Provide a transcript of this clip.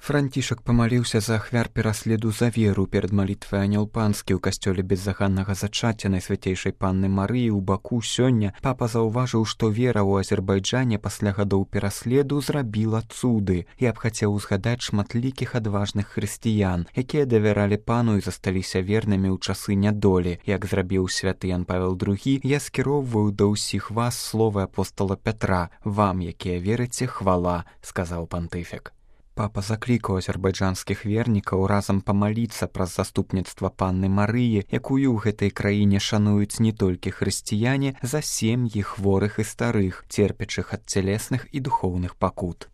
Францішак памаліўся за ахвяр пераследу за веру перад малітвай Анёл Панскі ў касцёле беззаганнага зачацця Найсвяцейшай Панны Марыі ў Баку. Сёння папа заўважыў, што вера ў Азербайджане пасля гадоў пераследу зрабіла цуды і абхацеў узгадаць шматлікіх адважных хрысціян, якія давяралі пану і засталіся вернымі ў часы нядолі. Як зрабіў святы Ян Павел II, я скіроўваю да ўсіх вас словы апостола Пятра: «Вам, якія верыце, хвала», — сказаў пантыфік. Папа заклікаў азербайджанскіх вернікаў разам памаліцца праз заступніцтва Панны Марыі, якую ў гэтай краіне шануюць не толькі хрысціяне, за сем'і хворых і старых, церпячых ад цялесных і духоўных пакут.